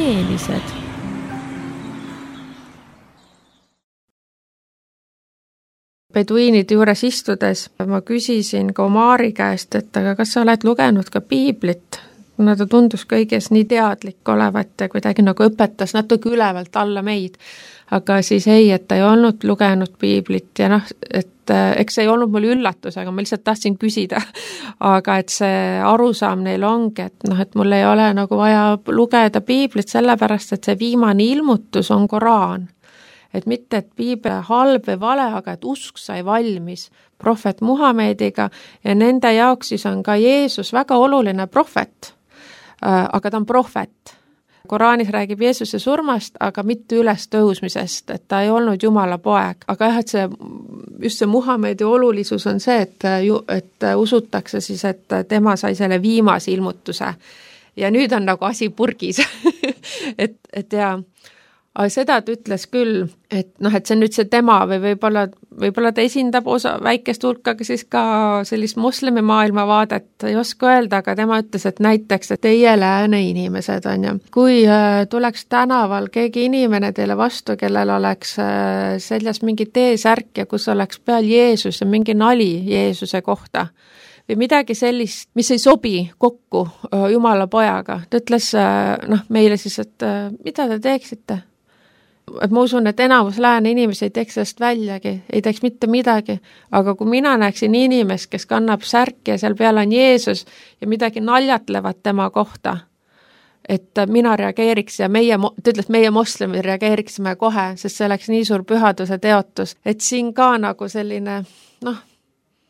teelised. Peduiinide juures istudes ma küsisin ka Omari käest, et aga kas sa oled lugenud ka piiblit? Kuna ta tundus kõiges nii teadlik olevat ja kuidagi nagu õpetas natuke ülevalt alla meid. Aga siis ei, et ta ei olnud lugenud piiblit ja noh, et eks ei olnud mul üllatus, aga ma lihtsalt tahtsin küsida. Aga et see arusaam neil ongi, et noh, et mul ei ole nagu vaja lugeda piiblit sellepärast, et see viimane ilmutus on Koraan. Et mitte, et piibel halb või vale, aga et usk sai valmis prohvet Muhamediga ja nende jaoks siis on ka Jeesus väga oluline prohvet, aga ta on prohvet. Koraanis räägib Jeesuse surmast, aga mitte üles tõusmisest, et ta ei olnud Jumala poeg. Aga jah, et see, just see Muhamedi olulisus on see, et, et usutakse siis, et tema sai selle viimase ilmutuse. Ja nüüd on nagu asi purgis. et, et ja... Aga seda ta ütles küll, et noh, et see on nüüd see tema või võib-olla, võib-olla ta esindab osa väikest hulkaga siis ka sellist moslemi maailma vaadet, ei oska öelda, aga tema ütles, et näiteks, et teie lääne inimesed on ju. Kui tuleks tänaval keegi inimene teile vastu, kellel oleks seljas mingi T-särk ja kus oleks peal Jeesus ja mingi nali Jeesuse kohta, või midagi sellist, mis ei sobi kokku Jumala pojaga. Ta ütles noh, meile siis, et mida te teeksite? Et ma usun, et enamus lääne inimesi ei teeks sellest väljagi, ei teeks mitte midagi, aga kui mina näeksin inimest, kes kannab särki ja seal peal on Jeesus ja midagi naljatlevad tema kohta, et mina reageeriks ja meie, ta ütles, meie moslemid reageeriksime kohe, sest see oleks nii suur pühaduse teotus, et siin ka nagu selline, noh,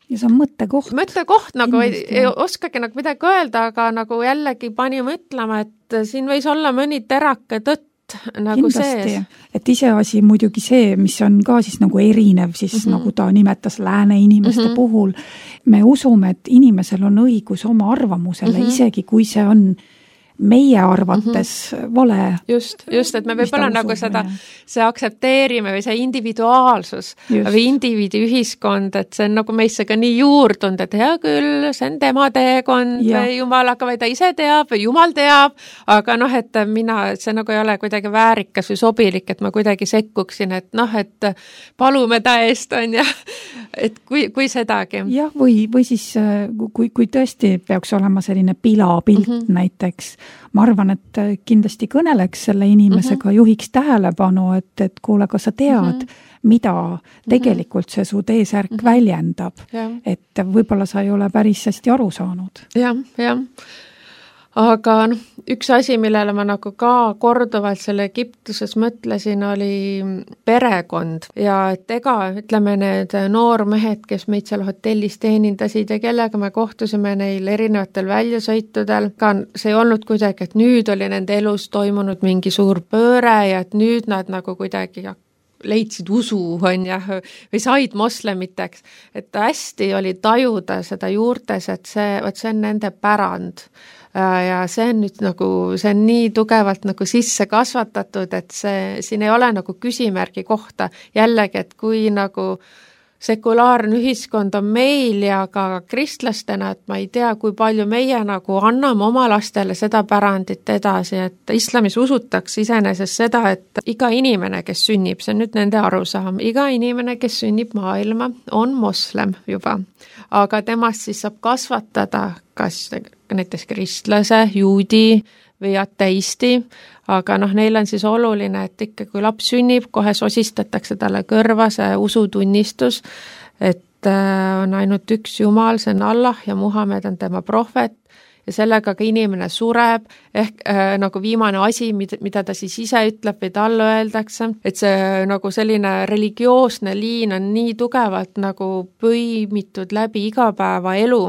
ja see on mõttekoht. Mõttekoht, nagu ei, ei oskagi nagu midagi öelda, aga nagu jällegi pani mõtlema, et siin võis olla mõni terake tõtt nagu kindlasti, sees. Et iseasi muidugi see, mis on ka siis nagu erinev, siis mm-hmm. nagu ta nimetas lääne inimeste mm-hmm. puhul. Me usume, et inimesel on õigus oma arvamusele, mm-hmm. isegi kui see on meie arvates mm-hmm. vale. Just, just, et me võib-olla nagu seda, see aksepteerime või see individuaalsus just. Või indiviidi ühiskond, et see on nagu meisse ka nii juurdunud, et hea küll, see on tema teekond ja. Või Jumalaga või ta ise teab või Jumal teab, aga noh, et mina, see nagu ei ole kuidagi väärikas või sobilik, et ma kuidagi sekkuksin, et noh, et palume ta eest on ja et kui, kui sedagi. Jah, või, või siis kui, kui tõesti peaks olema selline pilapilt mm-hmm. näiteks, ma arvan, et kindlasti kõneleks selle inimesega, mm-hmm. juhiks tähelepanu, et, et kuule, kas sa tead, mm-hmm. mida tegelikult see su T-särk mm-hmm. väljendab, ja. Et võib-olla sa ei ole päris hästi aru saanud. Jah, jah. Aga noh, üks asi, millele ma nagu ka korduvalt selle Egiptuses mõtlesin, oli perekond ja et ega, ütleme, need noormehed, kes meid seal hotellis teenindasid ja kellega me kohtusime neil erinevatel väljasõitudel, ka see ei olnud kuidagi, et nüüd oli nende elus toimunud mingi suur pööre ja et nüüd nad nagu kuidagi leidsid usu, on jah, või said moslemiteks, et hästi oli tajuda seda juurtes, et see, et see on nende pärand. Ja see on nüüd nagu, see on nii tugevalt nagu sisse kasvatatud, et see, siin ei ole nagu küsimärgi kohta jällegi, et kui nagu sekulaarne ühiskond on meil ja ka kristlastena, et ma ei tea, kui palju meie nagu anname oma lastele seda pärandit edasi, et islamis usutakse iseenesest seda, et iga inimene, kes sünnib, see on nüüd nende arusaam, iga inimene, kes sünnib maailma, on moslem juba, aga temast siis saab kasvatada kas näiteks kristlase, juudi või ateisti, aga noh, neil on siis oluline, et ikka kui laps sünnib, kohe sosistatakse talle kõrva see usutunnistus, et on ainult üks Jumal, see on Allah ja Muhamed on tema prohvet ja sellega ka inimene sureb, ehk äh, nagu viimane asi, mida, mida ta siis ise ütleb või talle öeldakse, et see nagu selline religioosne liin on nii tugevalt nagu põimitud läbi igapäevaelu,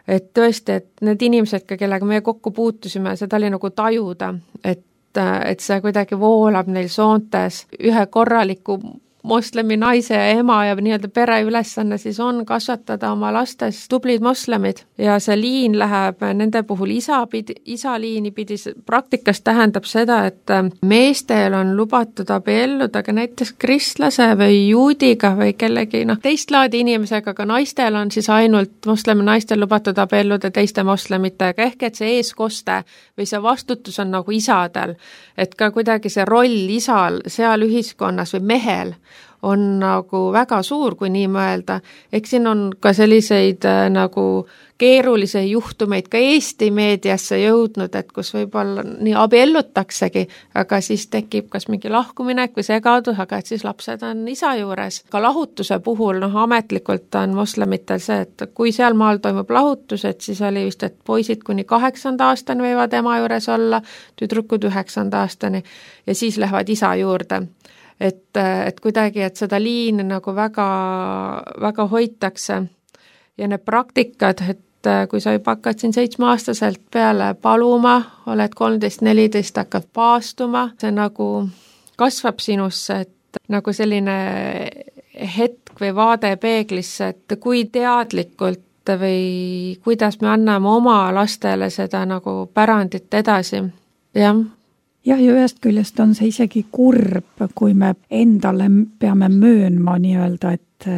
et tõesti, et need inimesed, kellega me kokku puutusime, seda oli nagu tajuda, et, et see kuidagi voolab neil soontes ühe korraliku moslemi naise ja ema ja nii-öelda pere ülesanne siis on kasvatada oma lastes tublid moslemid ja see liin läheb nende puhul isa pidi, isa liini pidi, praktikas tähendab seda, et meestel on lubatud abielluda ka näiteks kristlase või juudiga või kellegi noh, teist laadi inimesega, aga naistel on siis ainult moslemi naistel lubatud abielluda teiste moslemitega, ehk et see eeskoste või see vastutus on nagu isadel, et ka kuidagi see roll isal seal ühiskonnas või mehel on nagu väga suur, kui nii mõelda. Eks siin on ka selliseid äh, nagu keerulisi juhtumeid ka Eesti meediasse jõudnud, et kus võib-olla nii abiellutaksegi, aga siis tekib kas mingi lahkuminek või segadus, aga et siis lapsed on isa juures. Ka lahutuse puhul, noh ametlikult on moslemitel see, et kui seal maal toimub lahutus, et siis oli vist, et poisid kuni kaheksanda aastani võivad ema juures olla, tüdrukud üheksanda aastani ja siis lähevad isa juurde. Et, et kuidagi, et seda liini nagu väga, väga hoitakse ja need praktikad, et kui sa juba hakkad siin seitsmeaastaselt peale paluma, oled kolmteist neliteist, hakkad paastuma, see nagu kasvab sinusse, et nagu selline hetk või vaade peeglisse, et kui teadlikult või kuidas me anname oma lastele seda nagu pärandit edasi, jah. jah, ja ühest küljest on see isegi kurb, kui me endale peame möönma nii-öelda, et,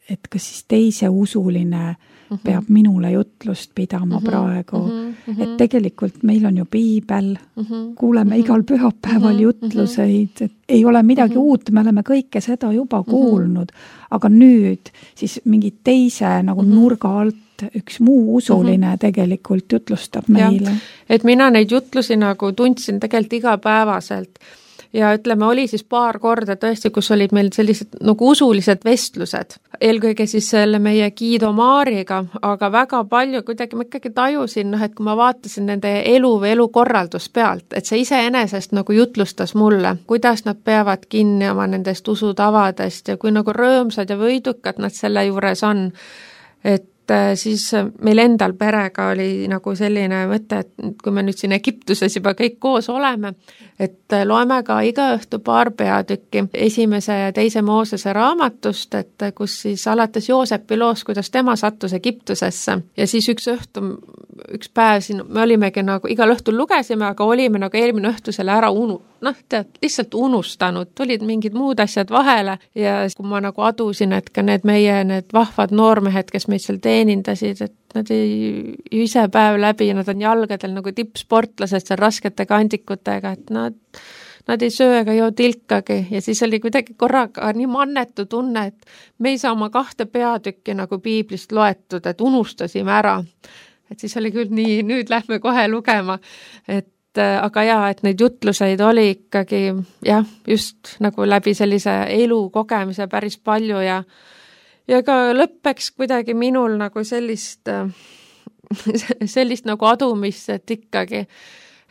et kas siis teise usuline uh-huh. peab minule jutlust pidama uh-huh. praegu. Uh-huh. Et tegelikult meil on ju piibel, uh-huh. kuuleme uh-huh. igal pühapäeval uh-huh. jutluseid, et ei ole midagi uh-huh. uut, me oleme kõike seda juba kuulnud, uh-huh. aga nüüd siis mingi teise nagu uh-huh. nurga alt üks muu usuline uh-huh. tegelikult jutlustab meile. Ja, et mina neid jutlusi nagu tundsin tegelikult igapäevaselt ja ütleme, oli siis paar korda tõesti, kus olid meil sellised nagu usulised vestlused, eelkõige siis selle meie Guido Maariga, aga väga palju kuidagi ma ikkagi tajusin, noh, et kui ma vaatasin nende elu või elukorraldus pealt, et see iseenesest nagu jutlustas mulle, kuidas nad peavad kinni oma nendest usutavadest ja kui nagu rõõmsad ja võidukad nad selle juures on, et siis meil endal perega oli nagu selline mõte, et kui me nüüd siin Egiptuses juba kõik koos oleme, et loeme ka iga õhtu paar peatükki esimese ja teise Moosese raamatust, et kus siis alates Joosepi loost, kuidas tema sattus Egiptusesse ja siis üks õhtu, üks päev siin me olimegi nagu igal õhtul lugesime, aga olime nagu eelmine õhtu selle ära unu, noh, tead, lihtsalt unustanud, tulid mingid muud asjad vahele ja kui ma nagu adusin, et ka need meie need vahvad noormehed, kes meid seal teenindasid, et nad ei ise päev läbi, nad on jalgadel nagu tippsportlased seal raskete kandikutega, et nad, nad ei söö ega joo tilkagi ja siis oli kuidagi korraga nii mannetu tunne, et me ei saa oma kahte peatükki nagu piiblist loetud, et unustasime ära. Et siis oli küll nii, nüüd lähme kohe lugema, et aga jaa, et neid jutluseid oli ikkagi jah, just nagu läbi sellise elu kogemise päris palju ja ja ka lõppeks kuidagi minul nagu sellist sellist nagu adumist, et ikkagi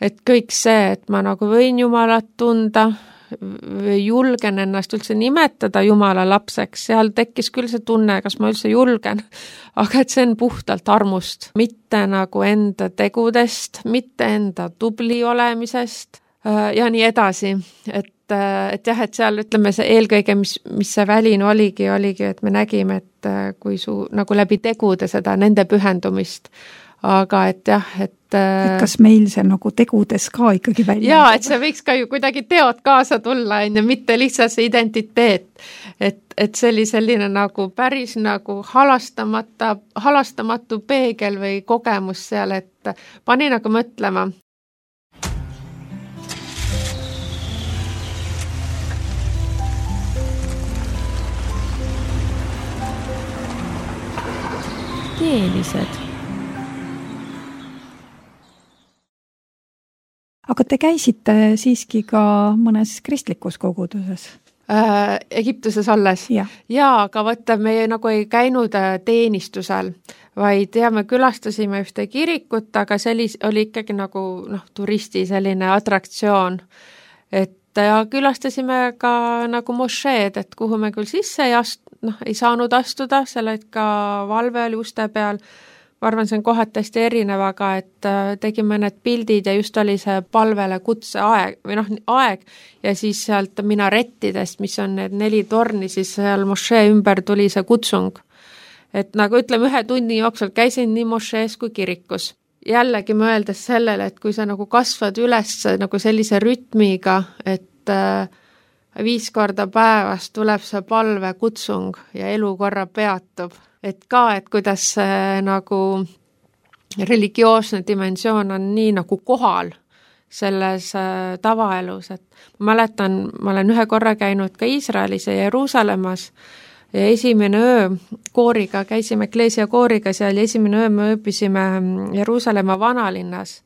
et kõik see, et ma nagu võin Jumalat tunda või julgen ennast üldse nimetada Jumala lapseks, seal tekkis küll see tunne, kas ma üldse julgen, aga et see on puhtalt armust, mitte nagu enda tegudest, mitte enda tubli olemisest ja nii edasi, et, et jah, et seal ütleme see eelkõige, mis, mis see väline oligi, oligi, et me nägime, et kui su nagu läbi tegude seda nende pühendumist, aga et jah, et et kas meil see nagu tegudes ka ikkagi välja? Jaa, et see võiks ka ju kuidagi teod kaasa tulla, ja mitte lihtsalt see identiteet. Et, et see oli selline nagu päris nagu halastamata, halastamatu peegel või kogemus seal, et pani nagu mõtlema. Teelised. Aga te käisite siiski ka mõnes kristlikus koguduses? Äh, Egiptuses alles. Ja. Jaa, aga võtta, me nagu ei käinud teenistusel, vaid ja me külastasime ühte kirikut, aga sellis, oli ikkagi nagu noh, turisti selline atraktsioon. Et ja külastasime ka nagu mošeed, et kuhu me küll sisse ei, ast, noh, ei saanud astuda, selle ka valve oli uste peal. ma arvan, see on kohati hästi erinev, aga et tegime need pildid ja just oli see palvele kutse aeg, või noh, aeg ja siis sealt minarettidest, mis on need neli torni, siis seal mošee ümber tuli see kutsung. Et nagu ütleme, ühe tunni jooksul käisin nii mošees kui kirikus. Jällegi mõeldes sellele, et kui sa nagu kasvad üles nagu sellise rütmiga, et viis korda päevas tuleb see palve kutsung ja elu korra peatub. Et ka, et kuidas see nagu religioosne dimensioon on nii nagu kohal selles tavaelus. Et ma mäletan, ma olen ühe korra käinud ka Iisraelis ja Jeruusalemmas ja esimene öö kooriga, käisime Ekleesia kooriga seal ja esimene öö me ööbisime Jeruusalemma vanalinnas.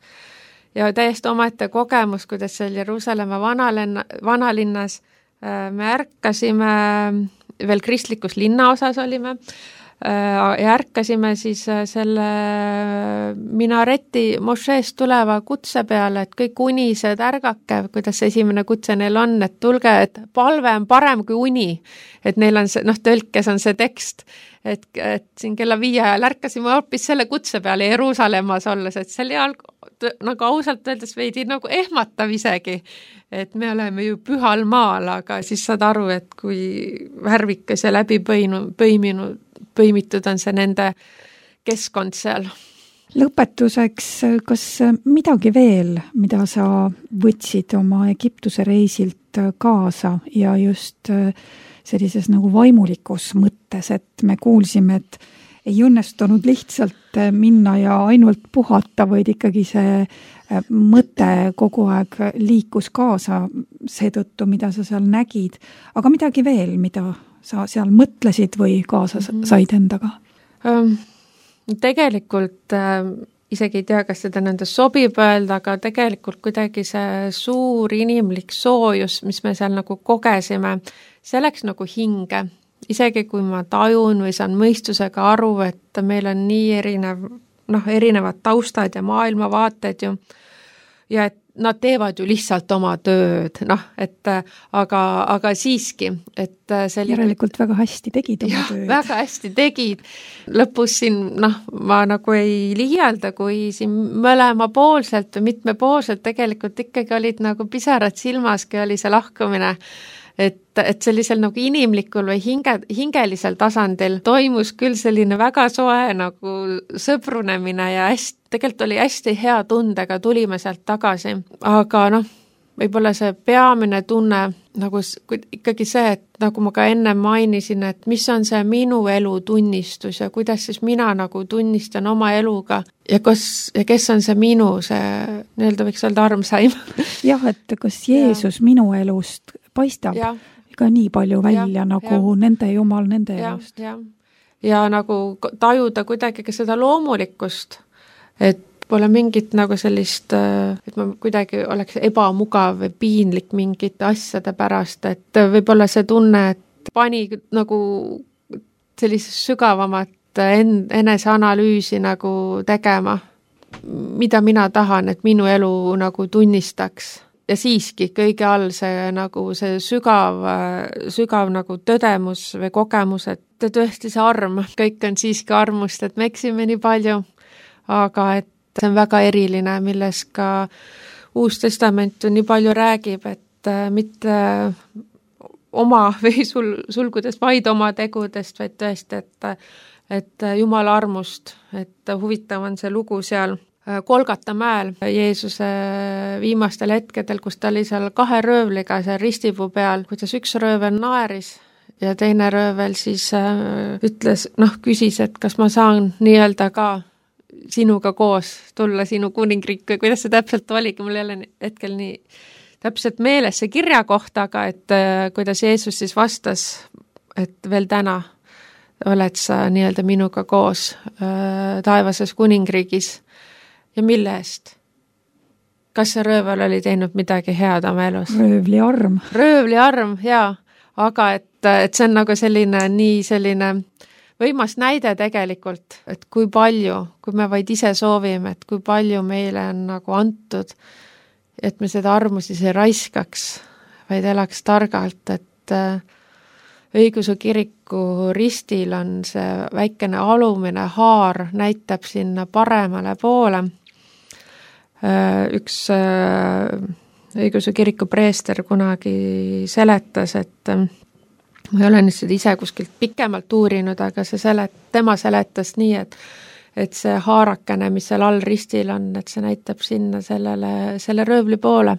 Ja täiesti omaette kogemus, kuidas seal Jeruusalemma vanalinna, vanalinnas me ärkasime, veel kristlikus linnaosas olime, ja ärkasime siis selle minareti mošeest tuleva kutse peale, et kõik unised ärgake, kuidas esimene kutse neil on, et tulge, et palve on parem kui uni, et neil on see, noh, tõlkes on see tekst, et, et siin kella viie ajal ärkasime hoopis selle kutse peale Jeruusalemmas olles, et seal jalg, nagu ausalt öeldes veidi nagu ehmatav isegi, et me oleme ju pühal maal, aga siis saad aru, et kui värvikas ja läbi põinu, põiminud, põimitud on see nende keskkond seal. Lõpetuseks, kas midagi veel, mida sa võtsid oma Egiptuse reisilt kaasa ja just sellises nagu vaimulikus mõttes, et me kuulsime, et ei õnnestunud lihtsalt minna ja ainult puhata, vaid ikkagi see mõte kogu aeg liikus kaasa seetõttu, mida sa seal nägid. Aga midagi veel, mida sa seal mõtlesid või kaasa said endaga? Tegelikult isegi ei tea, kas seda nende sobib öelda, aga tegelikult kuidagi see suur inimlik soojus, mis me seal nagu kogesime, see läks nagu hinge. Isegi kui ma tajun või saan mõistusega aru, et meil on nii erinev, noh, erinevad taustad ja maailmavaated ju, ja et nad teevad ju lihtsalt oma tööd, noh, et aga, aga siiski, et selline... Järelikult väga hästi tegid oma ja, tööd. Väga hästi tegid. Lõpus siin, noh, ma nagu ei liialda, kui siin mõlemapoolselt või mitmepoolselt tegelikult ikkagi olid nagu pisarad silmas, kui oli see lahkumine. Et, et sellisel nagu inimlikul või hinge, hingelisel tasandil toimus küll selline väga soe nagu sõbrunemine ja hästi, tegelikult oli hästi hea tundega, tulime sealt tagasi. Aga noh, võib-olla see peamine tunne nagu ikkagi see, et nagu ma ka enne mainisin, et mis on see minu elu tunnistus ja kuidas siis mina nagu tunnistan oma eluga ja, kas, ja kes on see minu, see nii-öelda võiks öelda armsaim. Jah, et kas Jeesus ja. Minu elust paistab ja. Ka nii palju välja ja, nagu ja. Nende jumal nende ja, elust. Ja. ja nagu tajuda kuidagi ka seda loomulikkust, et pole mingit nagu sellist, et ma kuidagi oleks ebamugav või piinlik mingite asjade pärast, et võib-olla see tunne, et pani nagu sellist sügavamat en- eneseanalüüsi nagu tegema, mida mina tahan, et minu elu nagu tunnistaks. Ja siiski kõige all see nagu see sügav, sügav nagu tõdemus või kogemus, et tõesti see arm, kõik on siiski armust, et me eksime nii palju, aga et see on väga eriline, milles ka Uus Testament nii palju räägib, et mitte oma või sul, sulgudes vaid oma tegudest, vaid tõesti, et, et Jumala armust, et huvitav on see lugu seal Kolgata mäel Jeesuse viimastel hetkedel, kus ta oli seal kahe röövliga seal ristipuu peal, kuidas üks röövel naeris ja teine röövel siis ütles, noh, küsis, et kas ma saan nii-öelda ka sinuga koos tulla sinu kuningriik või kuidas see täpselt oligi, mul ei ole hetkel nii täpselt meeles see kirja kohta, aga et kuidas Jeesus siis vastas, et veel täna oled sa nii-öelda minuga koos taevases kuningriigis. Ja mille eest? Kas see röövel oli teinud midagi head oma elus? Röövli arm. Röövli arm, jaa. Aga et, et see on nagu selline, nii selline võimas näide tegelikult, et kui palju, kui me vaid ise soovime, et kui palju meile on nagu antud, et me seda armu siis ei raiskaks, vaid elaks targalt, et Õigeusu kiriku ristil on see väikene alumine haar, näitab sinna paremale poole. Üks Õigeusu kiriku preester kunagi seletas, et ma ei ole nüüd seda ise kuskilt pikemalt uurinud, aga see selet, tema seletas nii, et et see haarakene, mis seal all ristil on, et see näitab sinna sellele, selle röövli poole,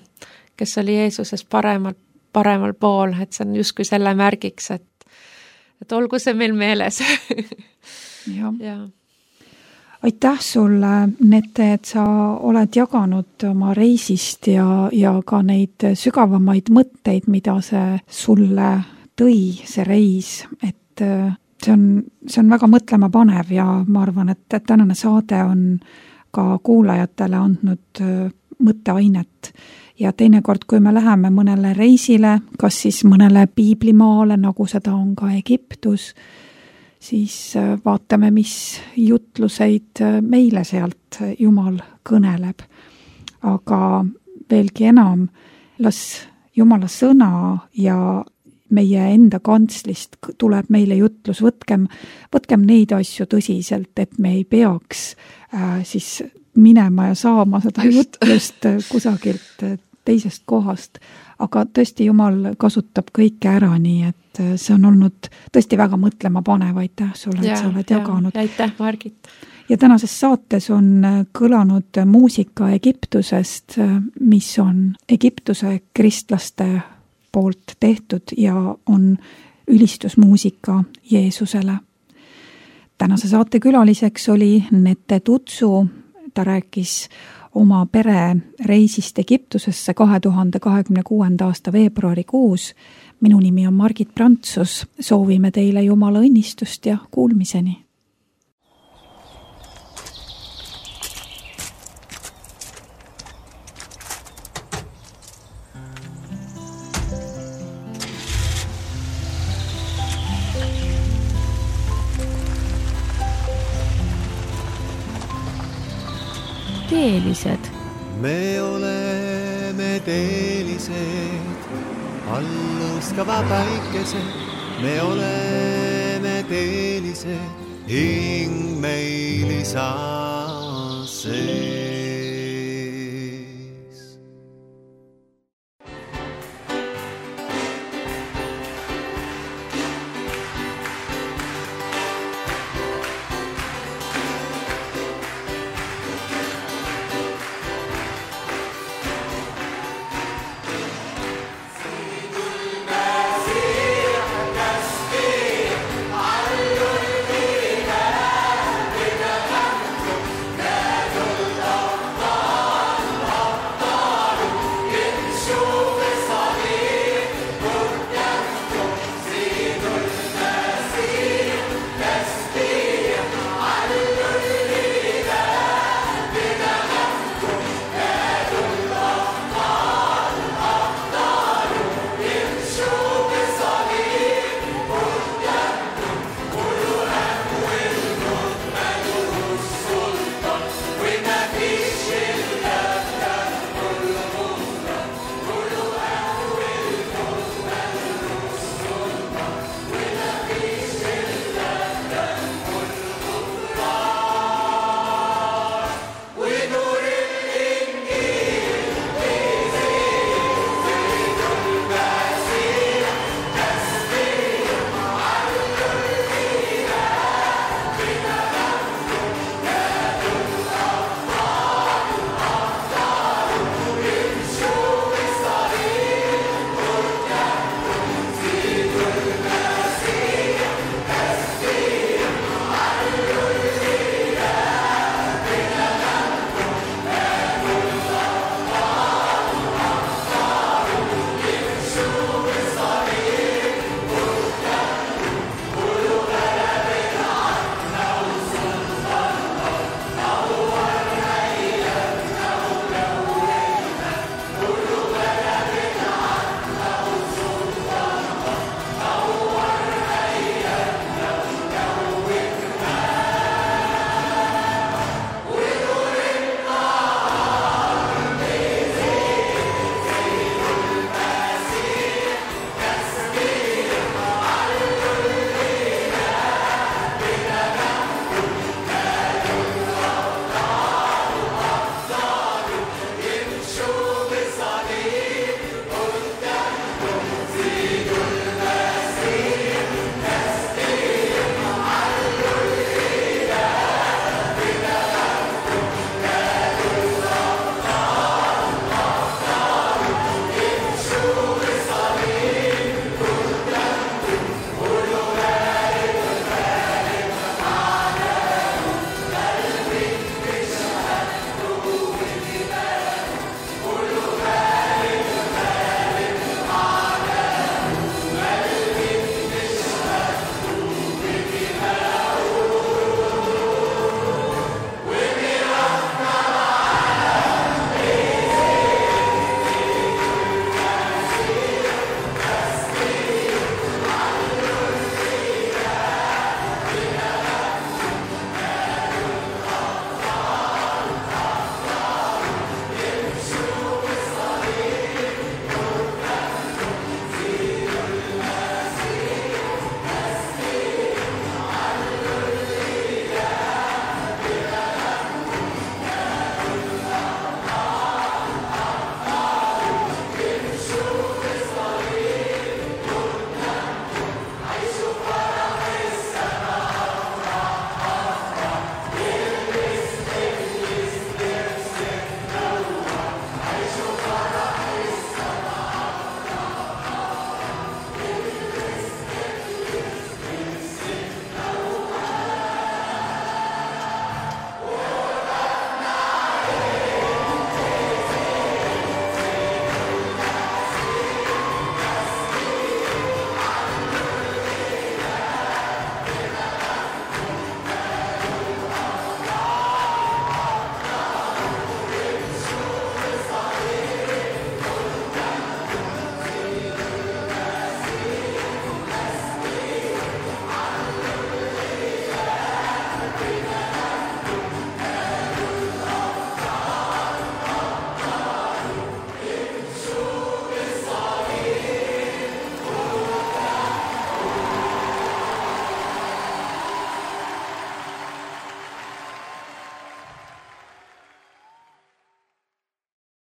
kes oli Jeesusest paremal, paremal pool, et see on justkui selle märgiks, et, et olgu see meil meeles. ja. ja. Aitäh sulle, Nete, et sa oled jaganud oma reisist ja, ja ka neid sügavamaid mõtteid, mida see sulle tõi, see reis, et see on, see on väga mõtlema panev ja ma arvan, et, et tänane saade on ka kuulajatele andnud mõtteainet. Ja teinekord, kui me läheme mõnele reisile, kas siis mõnele piiblimaale, nagu seda on ka Egiptus, siis vaatame, mis jutluseid meile sealt Jumal kõneleb. Aga veelgi enam, las Jumala sõna ja meie enda kantslist tuleb meile jutlus, võtkem, võtkem neid asju tõsiselt, et me ei peaks äh, siis minema ja saama seda jutlust kusagilt teisest kohast, aga tõesti Jumal kasutab kõike ära, nii et see on olnud tõesti väga mõtlema panev, aitäh sulle, et sa oled jaganud. Aitäh, Margit. Ja tänases saates on kõlanud muusika Egiptusest, mis on Egiptuse kristlaste poolt tehtud ja on ülistusmuusika Jeesusele. Tänase saate külaliseks oli Nete Tutsu, ta rääkis oma pere reisist Egiptusesse kahe tuhande kahekümne kuuenda aasta veebruarikuus. Minu nimi on Margit Prantsus, soovime teile Jumala õnnistust ja kuulmiseni. Teelised. Me oleme teelised, alluskava päikesed. Me oleme teelised, hing meil isa see.